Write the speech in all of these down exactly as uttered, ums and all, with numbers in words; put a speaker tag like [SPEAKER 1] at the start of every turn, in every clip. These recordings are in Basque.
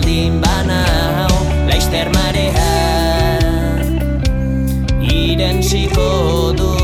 [SPEAKER 1] baldin banau, laizter marea irentziko du.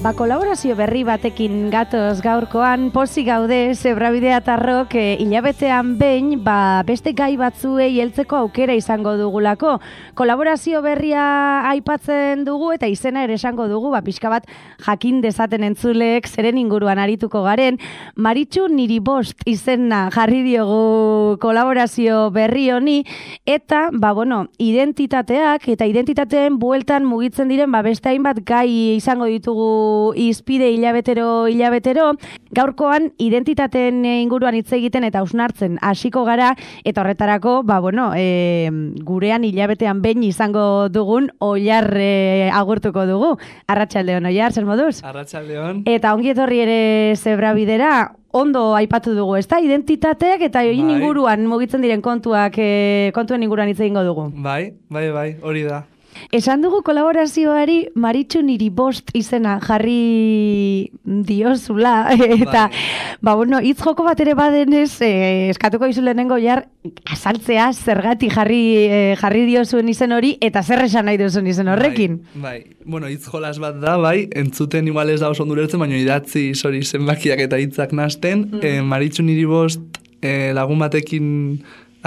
[SPEAKER 2] Ba, kolaborazio berri batekin gatoz gaurkoan, pozik gaude Zebrabidea tarrok e, hilabetean behin, ba, beste gai batzuei heltzeko aukera izango dugulako. Kolaborazio berria aipatzen dugu eta izena ere esango dugu, ba, pixka bat jakin dezaten entzuleek zeren inguruan arituko garen. Maritxu niri bost izena jarri diogu kolaborazio berri honi, eta, ba, bueno, identitateak eta identitateen bueltan mugitzen diren, ba, beste hainbat gai izango ditugu izpide hilabetero hilabetero. Gaurkoan identitateen inguruan hitz egiten eta hausnartzen hasiko gara, eta horretarako, ba, bueno, e, gurean hilabetean behin izango dugun Oiar e, agurtuko dugu. Arratsaldeon, Oiar, zer moduz?
[SPEAKER 3] Arratsaldeon.
[SPEAKER 2] Eta ongi etorri ere Zebrabidera. Ondo aipatu dugu, ezta? Identitateak eta egin
[SPEAKER 3] bai.
[SPEAKER 2] inguruan mugitzen diren kontuak, e, kontuen inguruan hitz egingo dugu.
[SPEAKER 3] Bai, bai, bai, hori da.
[SPEAKER 2] Esan dugu kolaborazioari Maritxu niri bost izena jarri diozula, eta, bai. ba, bueno, hitz joko bat ere badenez, eh, eskatuko izu lehenengo jar, azaltzea zergatik jarri, eh, jarri diozuen izen hori, eta zer esan nahi duzuen izen horrekin.
[SPEAKER 3] Bai, bai. Bueno, hitz jolas bat da, bai, entzuten igual ez da oso ondurertzen, baina idatzi hori zenbakiak eta hitzak nasten, mm. eh, Maritxu niri bost eh, lagun batekin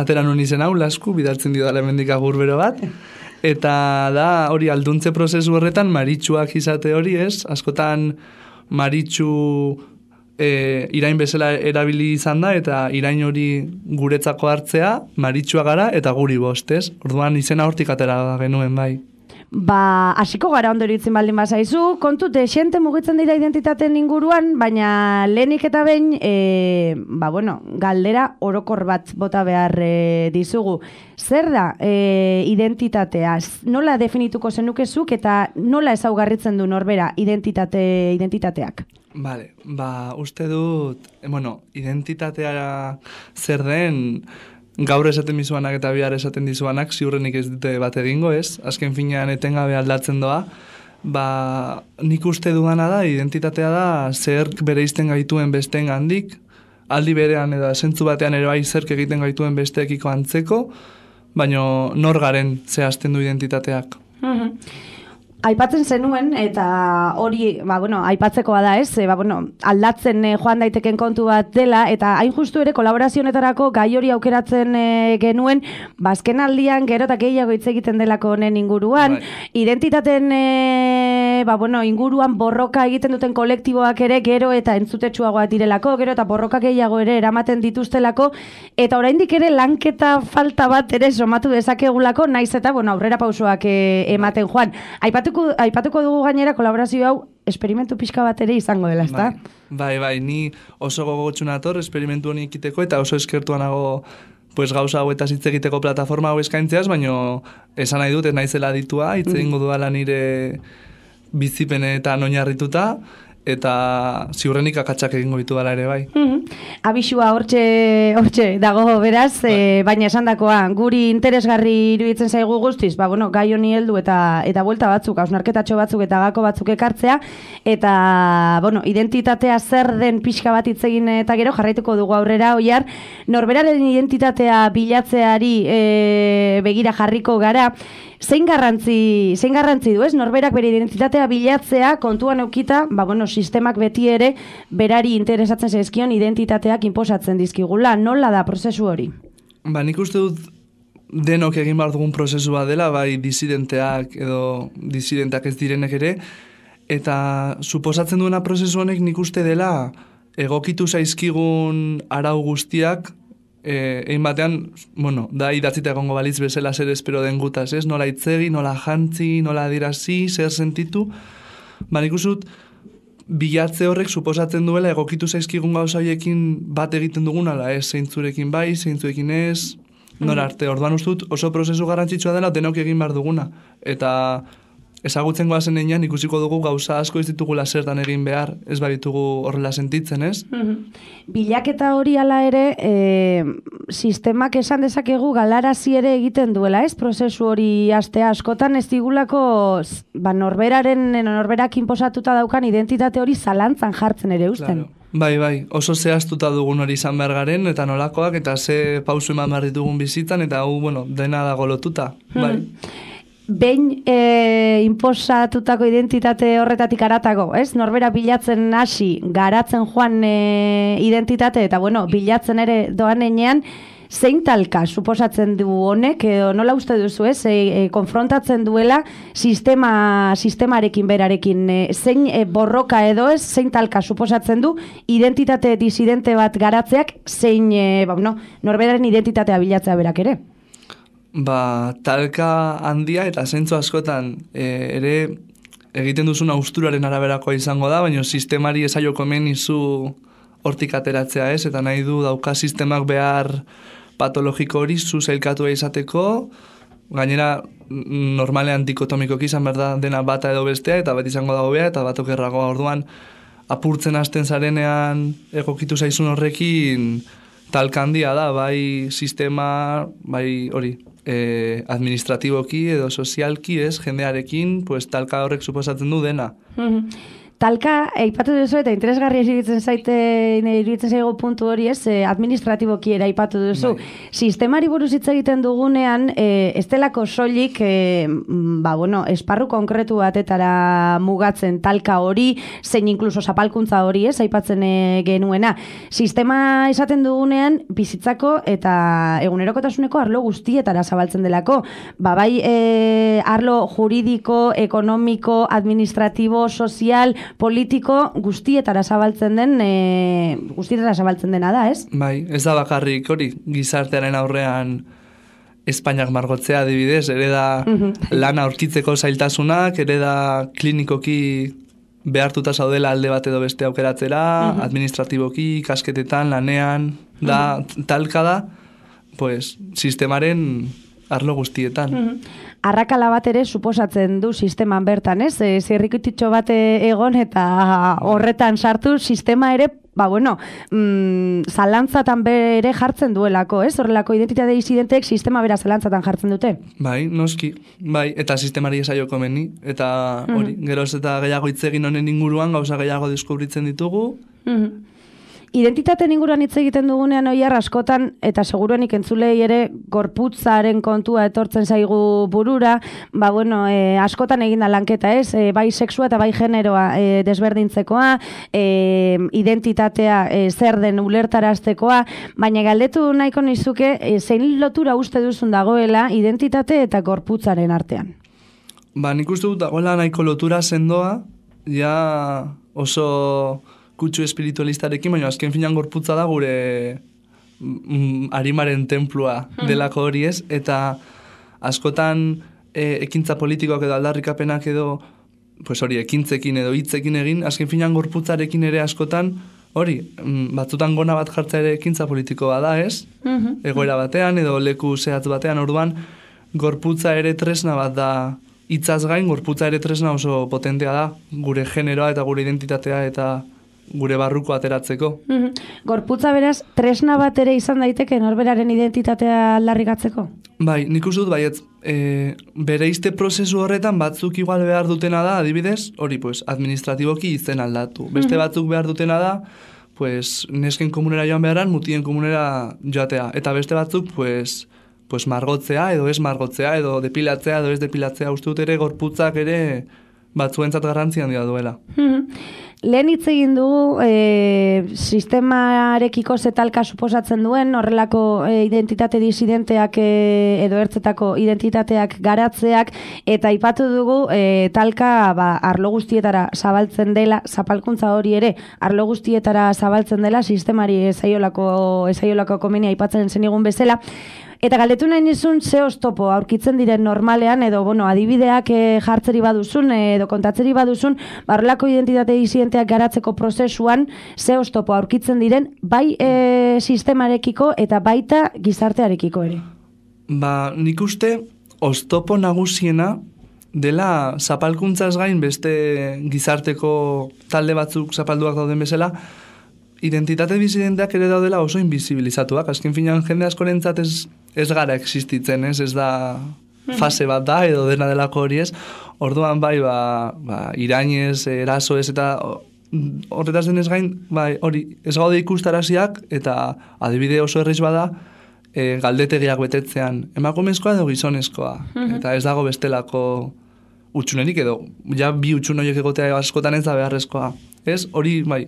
[SPEAKER 3] atera nun izen hau, lasku, bidaltzen dio da hemendik agur bero bat, eta da hori alduntze prozesu horretan Maritxuak izate hori, ez? Askotan Maritxu e, irain bezala erabili izan da, eta irain hori guretzako hartzea, Maritxua gara eta guri bost, ez? Orduan izena hortik atera genuen, bai.
[SPEAKER 2] Ba, hasiko gara ondo iruditzen baldin bazaizu, kontu desente mugitzen dira identitateen inguruan, baina lehenik eta behin, e, ba, bueno, galdera orokor bat bota behar e, dizugu. Zer da e, identitatea? Nola definituko zenukezuk eta nola ezaugarritzen du norbera identitate, identitateak?
[SPEAKER 3] Vale, ba, uste dut, bueno, identitatea zer den, gaur esaten dizuanak eta bihar esaten dizuanak ziurrenik ez dute bat egingo, ez? Azken finean etengabe aldatzen doa. Ba, nik uste dudana da, identitatea da, zerk bereizten gaituen besteen gandik, aldi berean edo zentzu batean ere bai zerk egiten gaituen besteekiko antzeko, baina nor garen zehazten du identitateak.
[SPEAKER 2] Mm-hmm. Aipatzen zenuen, eta hori, ba, bueno, aipatzekoa da, ez? E, ba, bueno, aldatzen e, joan daiteken kontu bat dela, eta hain justu ere kolaborazionetarako gai hori aukeratzen e, genuen, bazken aldian gero eta gehiago hitz egiten delako honen inguruan, right. Identitaten e, ba, bueno, inguruan borroka egiten duten kolektiboak ere gero eta entzutetsuagoak direlako, gero eta borroka gehiago ere eramaten dituztelako, eta oraindik ere lanketa falta bat ere somatu dezakegulako, naiz eta, bueno, aurrera pausoak e, ematen joan. Aipatu Aipatuko dugu gainera kolaborazio hau esperimentu pixka bat ere izango dela, ezta?
[SPEAKER 3] Bai, bai, bai, ni oso gogotsu nator esperimentu honi ekiteko eta oso eskertuanago pues, gauza hau eta hitz egiteko plataforma hau eskaintzeaz, baina esan nahi dut, ez naizela ditua, hitz egingo duela nire bizipenetan oinarrituta, eta ziurrenik akatsak egingo ditu dela ere bai.
[SPEAKER 2] Mm-hmm. Abisua hortxe, hortxe dago beraz, bai. E, baina esandakoa guri interesgarri iruditzen zaigu guztiz, ba, bueno, gai honi heldu eta eta buelta batzuk, hausnarketatxo batzuk eta gako batzuk ekartzea, eta bueno, identitatea zer den pixka bat hitz egin eta gero jarraituko dugu aurrera, Oiar, norberaren identitatea bilatzeari e, begira jarriko gara. Zein garrantzi, zein garrantzi du, ez? Norberak bere identitatea bilatzea kontuan eukita, ba, bueno, sistemak beti ere berari interesatzen zaizkion identitateak inposatzen dizkigula. Nola da prozesu hori?
[SPEAKER 3] Ba, nik uste dut denok egin behar dugun prozesua dela, bai disidenteak edo disidenteak ez direnek ere, eta suposatzen duena prozesu honek nik uste dela egokitu zaizkigun arau guztiak, Eh, egin batean, bueno, da idatzita egongo balitz bezala zer espero den gutaz, ez? Nola itzegi, nola jantzi, nola adirazi, zer sentitu. Ba, nik usut, bilatze horrek suposatzen duela egokitu zaizkigun gauza horiekin bat egiten dugun, ala ez, zeintzurekin bai, zeintzurekin ez, nora arte. Orduan ustut oso prozesu garrantzitsua dela denok egin behar duguna. Eta ezagutzen goazen einan ikusiko dugu gauza asko ez ditugula zertan egin behar, ez baditugu horrela sentitzen, ez?
[SPEAKER 2] Mm-hmm. Bilaketa hori ala ere, e, sistemak esan dezakegu galarazi ere egiten duela, ez? Prozesu hori astea askotan ez digulako ba, norberaren, norberak inposatuta daukan identitate hori zalantzan jartzen ere usten.
[SPEAKER 3] Claro. Bai, bai, oso zehaztuta dugun hori izan behar garen, eta nolakoak, eta ze pausu eman behar ditugun bizitan, eta hu, bueno, dena dago lotuta, bai.
[SPEAKER 2] Behin e, inposatutako identitate horretatik aratago, ez? Norbera bilatzen hasi, garatzen joan e, identitate, eta bueno, bilatzen ere doan enean, zein talka suposatzen du honek, edo nola uste duzu, ez? E, e, konfrontatzen duela sistema, sistemarekin berarekin, e, zein e, borroka edo ez, zein talka suposatzen du identitate disidente bat garatzeak, zein, e, ba, no, norberaren identitatea bilatzea berak ere?
[SPEAKER 3] Ba, talka handia eta zentzu askotan e, ere egiten duzun austuraren araberakoa izango da, baina sistemari ezaioko hemen izu hortik ateratzea ez, eta nahi du dauka sistemak behar patologiko hori zu zailkatua izateko, gainera normalean dikotomikoki izan behar da dena bata edo bestea, eta bat izango dago bea, eta bat okerragoa orduan apurtzen hasten zarenean egokitu zaizun horrekin talka handia da, bai sistema, bai hori, eh, administratiboki edo sozialki ez, jendearekin, pues talka horrek suposatzen du dena.
[SPEAKER 2] Talka, aipatu duzu eta interesgarria iruditzen zaite, iruditzen zaigu puntu hori ez, eh, administratiboki ere aipatu duzu. Bai. Sistemari buruz hitz egiten dugunean, eh, ez delako soilik, eh, ba, bueno, esparru konkretu batetara mugatzen talka hori, zein inkluso zapalkuntza hori ez, aipatzen eh, genuena. Sistema esaten dugunean, bizitzako eta egunerokotasuneko arlo guztietara zabaltzen delako. Ba, bai, eh, arlo juridiko, ekonomiko, administratibo, sozial, politiko guztietara zabaltzen den, e, guztietara zabaltzen dena da, ez?
[SPEAKER 3] Bai, ez da bakarrik hori, gizartearen aurrean Espainiak margotzea adibidez, ere da lana aurkitzeko zailtasunak, ere da klinikoki behartuta zaudela alde bat edo beste aukeratzera, administratiboki, kasketetan, lanean, da, talka da, pues, sistemaren arlo guztietan.
[SPEAKER 2] Arrakala bat ere suposatzen du sisteman bertan, ez? E, zirrikititxo bat egon eta horretan sartu sistema ere, ba bueno, mm, zalantzatan bere jartzen duelako, ez? Horrelako identitate disidenteek sistema bera zalantzatan jartzen dute.
[SPEAKER 3] Bai, noski, bai, eta sistemari esaioko meni, eta hori, mm-hmm. geroz eta gehiago hitz egin honen inguruan, gauza gehiago deskubritzen ditugu.
[SPEAKER 2] Mm-hmm. Identitateen inguruan hitz egiten dugunean oiar askotan, eta seguruenik entzulei ere gorputzaren kontua etortzen zaigu burura, ba bueno, e, askotan eginda lanketa ez, e, bai sexua eta bai generoa e, desberdintzekoa, e, identitatea e, zer den ulertaraztekoa, baina galdetu nahiko nizuke, e, zein lotura uste duzun dagoela identitate eta gorputzaren artean?
[SPEAKER 3] Ba, nik uste dut dagoela nahiko lotura sendoa, ja oso kutsu espiritualistarekin, baina azken finan gorputza da gure mm, arimaren templua delako hori ez, eta askotan e, ekintza politikoak edo aldarrikapenak edo pues hori, ekintzekin edo hitzekin egin, azken finan gorputzarekin ere askotan hori, mm, batzutan gona bat jartza ere ekintza politikoa da ez, egoera batean edo leku zehatz batean, orduan gorputza ere tresna bat da, hitzaz gain, gorputza ere tresna oso potentea da, gure generoa eta gure identitatea eta gure barruko ateratzeko.
[SPEAKER 2] Mm-hmm. Gorputza beraz, tresna bat ere izan daiteke norberaren identitatea aldarrikatzeko?
[SPEAKER 3] Bai, nik uste dut, baiet, e, bereizte prozesu horretan batzuk igual behar dutena da, adibidez, hori, pues, administratiboki izen aldatu. Beste mm-hmm. batzuk behar dutena da, pues, nesken komunera joan beharan, mutien komunera joatea. Eta beste batzuk, pues, pues, margotzea, edo ez margotzea, edo depilatzea, edo ez depilatzea. Uste dut ere, gorputzak ere batzuentzat garrantzi handia duela.
[SPEAKER 2] Mm-hmm. Lehen hitz egin dugu e, sistemarekiko zetalka suposatzen duen, horrelako e, identitate disidenteak e, edo ertzetako identitateak garatzeak, eta aipatu dugu e, talka ba, arlo guztietara zabaltzen dela, zapalkuntza hori ere, arlo guztietara zabaltzen dela, sistemari ezaiolako, ezaiolako komenia aipatzen zenigun bezala. Eta galdetu nahi nizun, ze oztopo aurkitzen diren normalean, edo bueno, adibideak e, jartzeri baduzun, edo kontatzeri baduzun, barrelako identitate disidenteak garatzeko prozesuan, ze oztopo aurkitzen diren, bai e, sistemarekiko eta baita gizartearekiko ere.
[SPEAKER 3] Ba, nik uste, oztopo nagusiena dela zapalkuntzaz gain beste gizarteko talde batzuk zapalduak dauden bezala, identitate disidenteak ere daudela oso invisibilizatuak. Azken finan jende askorentzat ez, ez gara existitzen, ez, ez da fase bat da, edo dena delako hori ez. Orduan bai, ba, ba, irainez, eraso ez, eta horretaz denez gain, bai, hori, ez gaude ikustaraziak, eta adibide oso erreiz bada, e, galdetegiak betetzean, emakumezkoa edo gizonezkoa, eta ez dago bestelako utxunerik edo, ja bi utxun horiek egotea askotan ez da beharrezkoa. Ez, hori, bai,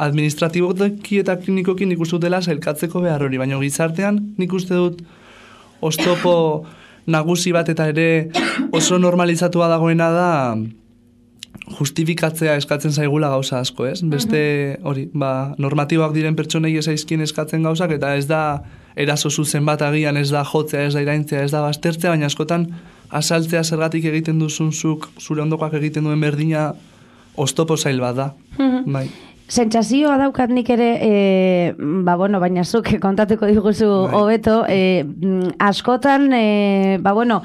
[SPEAKER 3] administratiboki eta klinikoki nik uste dutela sailkatzeko behar hori, baina gizartean nik uste dut oztopo nagusi bat eta ere oso normalizatua dagoena da justifikatzea eskatzen zaigula gauza asko, ez? Beste, hori, ba, normatiboak diren pertsonei ezaizkien eskatzen gauzak, eta ez da eraso zuzen bat agian, ez da jotzea, ez da iraintzea, ez da baztertzea, baina askotan asaltzea zergatik egiten duzunzuk, zure ondokoak egiten duen berdina, oztopo zail bat da. Bai.
[SPEAKER 2] Sentsazioa daukat nik ere, e, ba bueno, baina zuk kontatuko diguzu hobeto, e, askotan, e, ba bueno,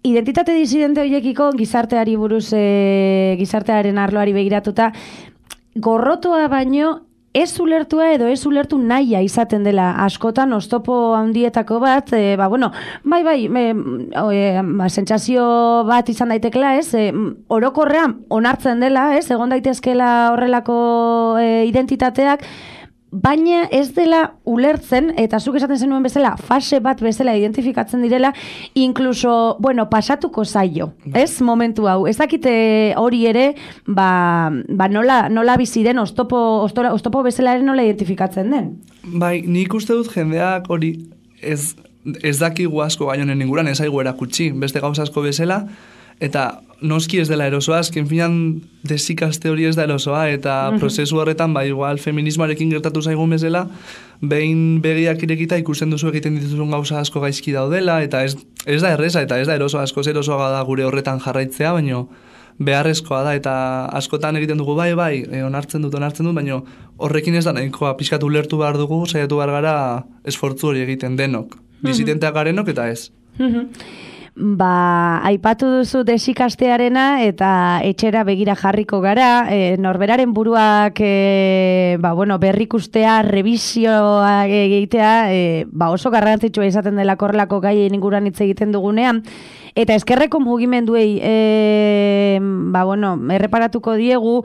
[SPEAKER 2] identitate disidente horiekiko gizarteari buruz, e, gizartearen arloari begiratuta, gorrotoa baino, ez ulertua edo ez ulertu nahia izaten dela askotan oztopo handietako bat, e, ba, bueno, bai, bai, e, e, ba, sentsazio bat izan daitekela, ez, e, orokorrean onartzen dela, ez, egon daitezkela horrelako e, identitateak, baina ez dela ulertzen, eta zuk esaten zenuen bezala, fase bat bezala identifikatzen direla, inkluso, bueno, pasatuko zaio, ez, momentu hau. Ez dakite hori ere, ba, ba nola, nola bizi den, oztopo, oztora, oztopo bezala ere nola identifikatzen den.
[SPEAKER 3] Bai, nik uste dut jendeak hori ez, ez dakigu asko gai honen inguran, ez aigu erakutsi, beste gauza asko bezala, eta noski ez dela erosoa, azken finan desikaste hori ez da erosoa, eta uh-huh. prozesu horretan, ba, igual, feminismoarekin gertatu zaigun bezala, behin begiak irekita ikusten duzu egiten dituzun gauza asko gaizki daudela, eta ez, ez da erreza, eta ez da erosoa, asko erosoa da gure horretan jarraitzea, baino beharrezkoa da, eta askotan egiten dugu bai, bai, e, onartzen dut, onartzen dut, baino horrekin ez da nahikoa pixkatu lertu behar dugu, saiatu behar gara esfortzu hori egiten denok, disidenteak garenok eta ez.
[SPEAKER 2] Uh-huh. Ba, aipatu duzu desikastearena eta etxera begira jarriko gara, e, norberaren buruak e, ba, bueno, berrikustea, revisioa egitea, e, ba, oso garrantzitsua izaten dela korrelako gaien inguruan hitz egiten dugunean, eta eskerreko mugimenduei e, ba, bueno, erreparatuko diegu,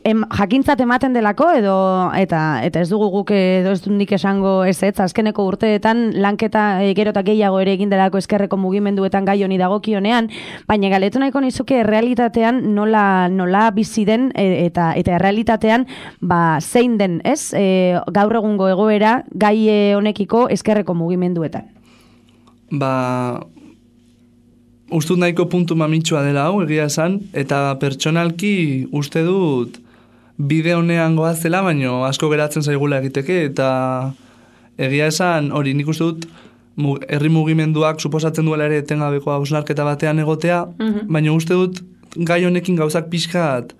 [SPEAKER 2] Em, jakintzat ematen delako edo eta eta ez dugu guk edo ez nik esango ez ez azkeneko urteetan lanketa e, gero eta gehiago ere egin delako eskerreko mugimenduetan gai honi dagokionean, baina galetu nahiko nizuke errealitatean nola nola bizi den e, eta eta errealitatean ba zein den, ez? E, gaur egungo egoera gai honekiko eskerreko mugimenduetan.
[SPEAKER 3] Ba ustut nahiko puntu mamitsua dela hau, egia esan, eta pertsonalki uste dut bide honean goazela, baino asko geratzen zaigula egiteke, eta egia esan, hori nik uste dut herri mugimenduak suposatzen duela ere etengabeko hausnarketa batean egotea, uh-huh. baina uste dut gai honekin gauzak pixkat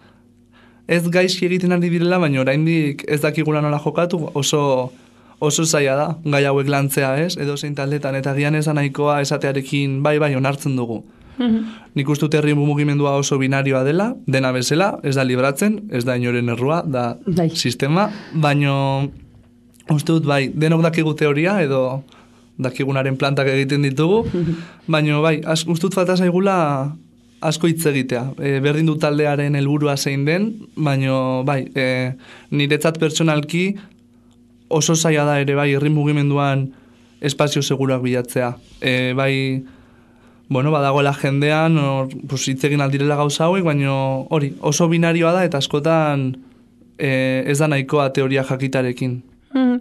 [SPEAKER 3] ez gaizki egiten ari direla, baina oraindik ez dakigula nola jokatu, oso oso zaila da, gai hauek lantzea, ez, edo zein taldetan, eta gian esan nahikoa esatearekin bai bai onartzen dugu. Mm-hmm. Nik uste dut herri mugimendua oso binarioa dela, dena bezala, ez da libratzen, ez da inoren errua, da bai. Sistema, baino uste dut bai, denok dakigu teoria, edo dakigunaren plantak egiten ditugu, mm-hmm. baino bai, az, uste dut falta zaigula asko hitz egitea. E, berdin dut taldearen helburua zein den, baino bai, e, niretzat pertsonalki oso zaila da ere bai herri mugimenduan espazio seguruak bilatzea. E, bai, bueno, badagoela jendean, or, pues, hitz egin aldirela gauza hauek, baina hori, oso binarioa da eta askotan e, ez da nahikoa teoria jakitarekin.
[SPEAKER 2] Mm.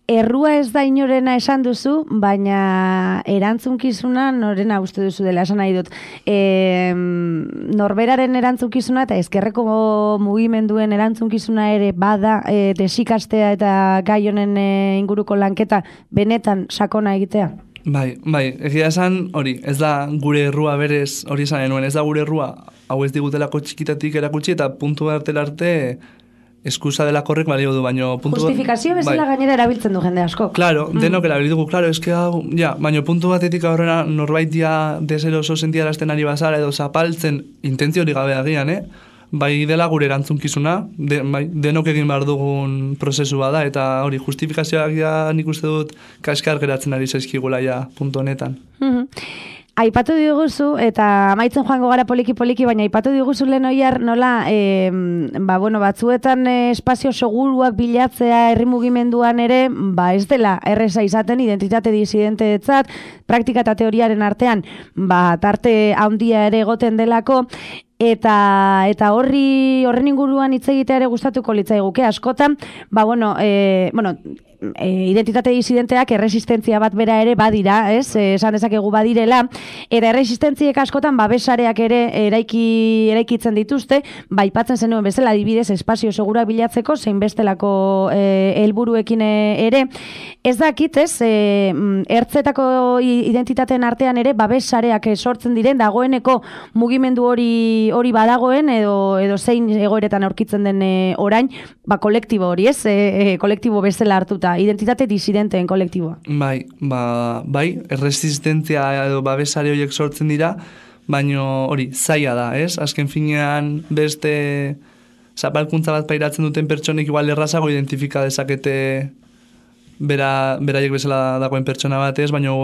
[SPEAKER 2] Errua ez da inorena esan duzu, baina erantzunkizuna norena uste duzu dela esan nahi dut. E, norberaren erantzunkizuna eta ezkerreko mugimenduen erantzunkizuna ere bada e, desikastea eta gai honen e, inguruko lanketa benetan sakona egitea?
[SPEAKER 3] Bai, bai, egia esan hori, ez da gure errua berez, hori esan genuen, ez da gure errua, hau ez digutelako txikitatik erakutsi eta puntu bartela arte eskusa dela korrek balio du, baino puntu
[SPEAKER 2] justifikazio bezala bai. Gainera erabiltzen du jende asko.
[SPEAKER 3] Claro, mm. denok erabil dugu, claro, eske hau, ja, baino puntu batetik aurrera norbait dia deseroso sentiarazten ari bazara edo zapaltzen intentzio hori gabe agian, eh? Bai dela gure erantzunkizuna, de, bai, denok egin behar dugun prozesu bada, eta hori justifikazioak ja nik uste dut kaskar geratzen ari zaizkigula ja puntu honetan.
[SPEAKER 2] Mm-hmm. Aipatu diguzu, eta amaitzen joango gara poliki-poliki, baina aipatu diguzu lehen oiar nola, e, ba, bueno, batzuetan e, espazio seguruak bilatzea herri mugimenduan ere, ba, ez dela erreza izaten identitate disidenteetzat, praktika eta teoriaren artean, ba, tarte handia ere egoten delako, eta eta horri horren inguruan hitz egitea ere gustatuko litzaiguke askotan, ba, bueno, e, bueno, E, identitate disidenteak erresistentzia bat bera ere badira, ez? E, esan dezakegu badirela, eta erresistentziek askotan babesareak ere eraiki eraikitzen dituzte, ba aipatzen zenuen bezala adibidez espazio segura bilatzeko zein bestelako e, helburuekin ere. Ez dakit, ez? E, ertzetako identitateen artean ere babesareak sortzen diren dagoeneko mugimendu hori hori badagoen edo edo zein egoeretan aurkitzen den e, orain, ba kolektibo hori, ez? E, e, kolektibo bezala hartuta identitate disidenteen kolektiboa.
[SPEAKER 3] Bai, ba, bai, erresistentzia edo babesare horiek sortzen dira, baino hori, zaila da, ez? Azken finean beste zapalkuntza bat pairatzen duten pertsonek igual errazago identifika dezakete bera, beraiek bezala dagoen pertsona bat, ez? Baino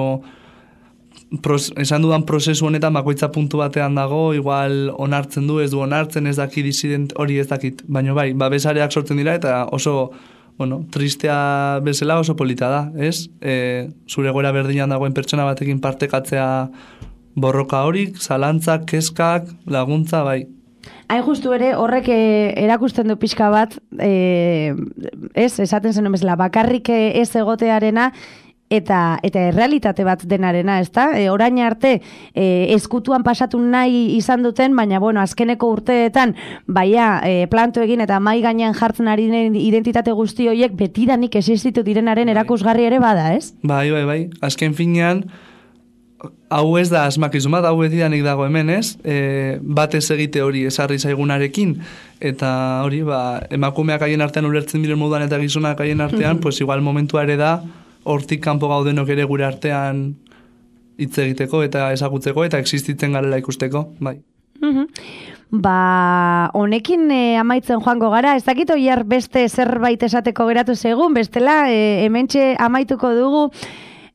[SPEAKER 3] pros, esan dudan prozesu honetan bakoitza puntu batean dago, igual onartzen du, ez du onartzen, ez daki disident hori ez dakit. Baino bai, babesareak sortzen dira eta oso bueno, tristea bezala oso polita da, ez? E, zure goera berdinan dagoen pertsona batekin partekatzea borroka horik, zalantzak, kezkak, laguntza, bai.
[SPEAKER 2] Hain justu ere, horrek erakusten du pixka bat, e, ez, esaten zen bezala, bakarrik ez egotearena, eta eta errealitate bat denarena, ezta? E, orain arte e, eskutuan pasatu nahi izan duten, baina bueno, azkeneko urteetan baia e, planto egin eta mai gainean jartzen ari den identitate guzti horiek betidanik existitu direnaren erakusgarri ere bada, ez?
[SPEAKER 3] Bai, bai, bai. Azken finean hau ez da asmakizun bat, hau betidanik dago hemen, ez? E, batez egite hori esarri zaigunarekin, eta hori, ba, emakumeak haien artean ulertzen diren moduan eta gizonak haien artean, pues igual momentua ere da hortik kanpo gaudenok ere gure artean hitz egiteko eta ezagutzeko eta existitzen garela ikusteko, bai.
[SPEAKER 2] Mm-hmm. Ba, honekin e, amaitzen joango gara, ez dakit oiar beste zerbait esateko geratu segun, bestela e, hementxe amaituko dugu.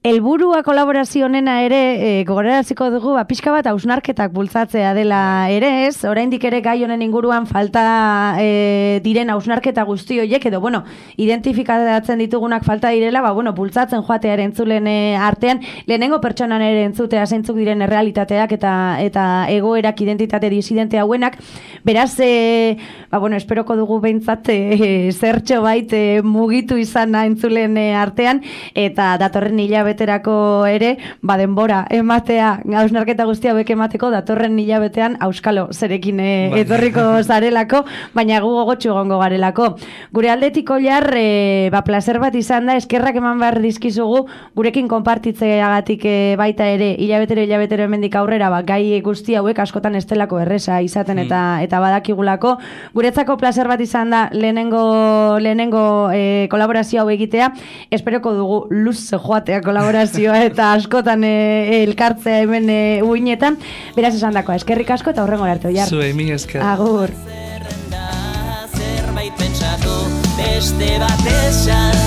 [SPEAKER 2] Helburua kolaborazio honena ere e, gogoraraziko dugu ba, pixka bat hausnarketak bultzatzea dela ere, ez? Oraindik ere gai honen inguruan falta e, diren hausnarketa guzti horiek edo bueno, identifikatzen ditugunak falta direla, ba bueno, bultzatzen joatea ere entzulen e, artean, lehenengo pertsonan ere entzutea zeintzuk diren errealitateak eta eta egoerak identitate disidente hauenak. Beraz, e, ba bueno, esperoko dugu behintzat e, zertxo bait e, mugitu izana entzulen e, artean eta datorren hilabete hilabeterako ere, ba denbora ematea, hausnarketa guztia hauek emateko datorren hilabetean auskalo zerekin e, etorriko zarelako, baina gu gogotsu egongo garelako. Gure aldetik oiar, e, ba placer bat izan da, eskerrak eman behar dizkizugu, gurekin konpartitzeagatik e, baita ere, hilabetero hilabetero hemendik aurrera, ba gai guzti hauek askotan estelako erresa izaten eta eta badakigulako. Guretzako placer bat izan da lehenengo lehenengo e, kolaborazio hau egitea, esperoko dugu luz joatea kolaborazioa eta askotan e, elkartzea hemen e, uinetan. Beraz esan dakoa, eskerrik asko eta horrengo arte oiar.
[SPEAKER 3] Zue, mi esker.
[SPEAKER 2] Agur.
[SPEAKER 1] Zerbait pentsatu, beste bat esan